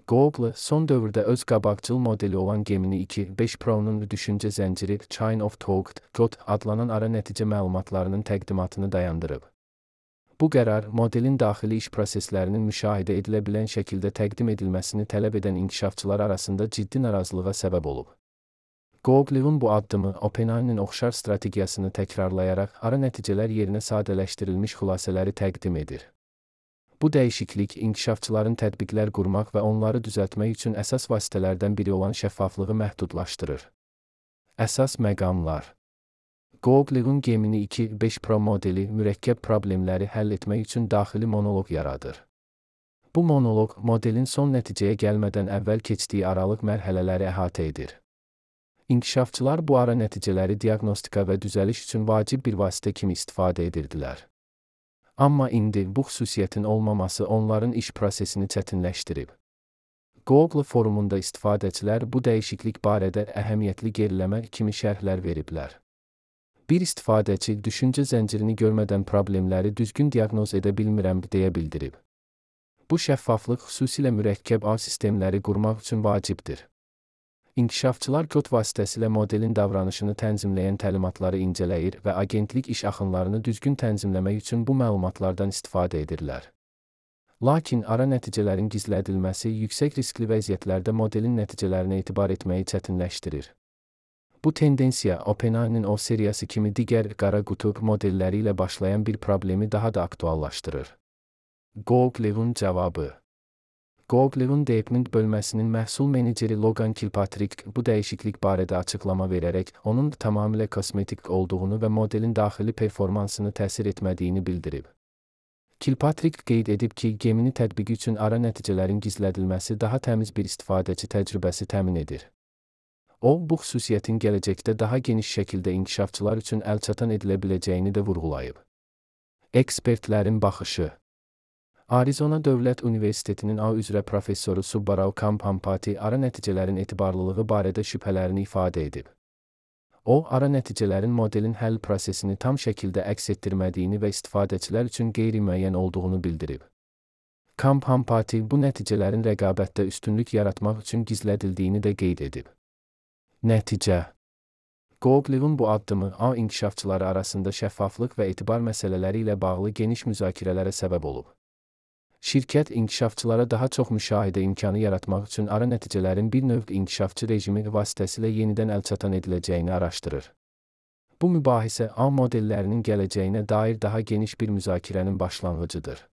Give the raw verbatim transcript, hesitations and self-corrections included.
Google, son dövrdə öz qabaqcıl modeli olan Gemini iki nöqtə beş Pro-nun düşüncə zənciri Chain of Thought (C O T) adlanan ara nəticə məlumatlarının təqdimatını dayandırıb. Bu qərar, modelin daxili iş proseslərinin müşahidə edilə bilən şəkildə təqdim edilməsini tələb edən inkişafçılar arasında ciddi narazılığa səbəb olub. Google'un bu addımı, OpenAI'nin oxşar strategiyasını təkrarlayaraq ara nəticələr yerinə sadələşdirilmiş xülasələri təqdim edir. Bu dəyişiklik, inkişafçıların tətbiqlər qurmaq və onları düzəltmək üçün əsas vasitələrdən biri olan şəffaflığı məhdudlaşdırır. Əsas məqamlar: Google'un Gemini iki nöqtə beş Pro modeli mürəkkəb problemləri həll etmək üçün daxili monoloq yaradır. Bu monoloq, modelin son nəticəyə gəlmədən əvvəl keçdiyi aralıq mərhələləri əhatə edir. İnkişafçılar bu ara nəticələri diaqnostika və düzəliş üçün vacib bir vasitə kimi istifadə edirdilər. Amma indi bu xüsusiyyətin olmaması onların iş prosesini çətinləşdirib. Google forumunda istifadəçilər bu dəyişiklik barədə əhəmiyyətli geriləmə kimi şərhlər veriblər. Bir istifadəçi düşüncə zəncirini görmədən problemləri düzgün diaqnoz edə bilmirəm deyə bildirib. Bu şəffaflıq xüsusilə mürəkkəb ağ sistemləri qurmaq üçün vacibdir. İnkişafçılar C O T vasitəsilə modelin davranışını tənzimləyən təlimatları incələyir və agentlik iş axınlarını düzgün tənzimləmək üçün bu məlumatlardan istifadə edirlər. Lakin ara nəticələrin gizlədilməsi yüksək riskli vəziyyətlərdə modelin nəticələrinə etibar etməyi çətinləşdirir. Bu tendensiya, OpenAI'nin O seriyası kimi digər qara qutu modelləri ilə başlayan bir problemi daha da aktuallaşdırır. Google'un cavabı: Google'un Deepmind bölməsinin məhsul meneceri Logan Kilpatrick bu dəyişiklik barədə açıqlama verərək, onun tamamilə kosmetik olduğunu və modelin daxili performansını təsir etmədiyini bildirib. Kilpatrick qeyd edib ki, Gemini tətbiqi üçün ara nəticələrin gizlədilməsi daha təmiz bir istifadəçi təcrübəsi təmin edir. O, bu xüsusiyyətin gələcəkdə daha geniş şəkildə inkişafçılar üçün əlçatan edilə biləcəyini də vurğulayıb. Ekspertlərin baxışı: Arizona Dövlət Universitetinin A üzrə professoru Subbarao Kambhampati ara nəticələrin etibarlılığı barədə şübhələrini ifadə edib. O, ara nəticələrin modelin həll prosesini tam şəkildə əks etdirmədiyini və istifadəçilər üçün qeyri-müəyyən olduğunu bildirib. Kambhampati bu nəticələrin rəqabətdə üstünlük yaratmaq üçün gizlədildiyini də qeyd edib. Nəticə: Google'un bu addımı A inkişafçıları arasında şəffaflıq və etibar məsələləri ilə bağlı geniş müzakirələrə səbəb olub. Şirkət, inkişafçılara daha çox müşahidə imkanı yaratmaq üçün ara nəticələrin bir növ inkişafçı rejimi vasitəsilə yenidən əlçatan ediləcəyini araşdırır. Bu mübahisə A modellərinin gələcəyinə dair daha geniş bir müzakirənin başlanğıcıdır.